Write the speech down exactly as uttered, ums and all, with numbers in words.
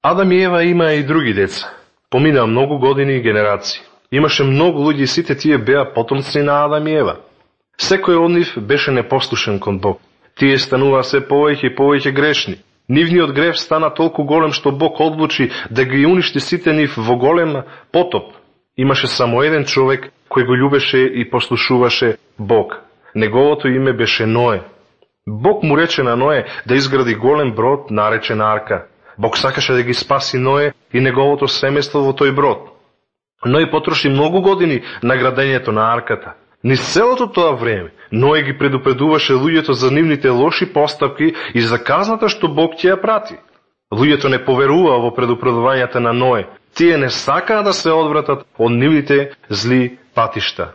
Адам и Ева имаа и други деца. Поминаа многу години и генерации. Имаше многу луѓе и сите тие беа потомци на Адам и Ева. Секој од нив беше непослушен кон Бог. Тие стануваа се повеќе и повеќе грешни. Нивниот грев стана толку голем што Бог одлучи да ги уништи сите нив во голем потоп. Имаше само еден човек кој го љубеше и послушуваше Бог. Неговото име беше Ное. Бог му рече на Ное да изгради голем брод наречен Арка. Бог сакаше да ги спаси Ное и неговото семејство во тој брод. Ное потроши многу години на градењето на арката. Низ целото тоа време, Ное ги предупредуваше луѓето за нивните лоши постапки и за казната што Бог ќе ја прати. Луѓето не поверуваа во предупредувањата на Ное. Тие не сакаа да се одвратат од нивните зли патишта.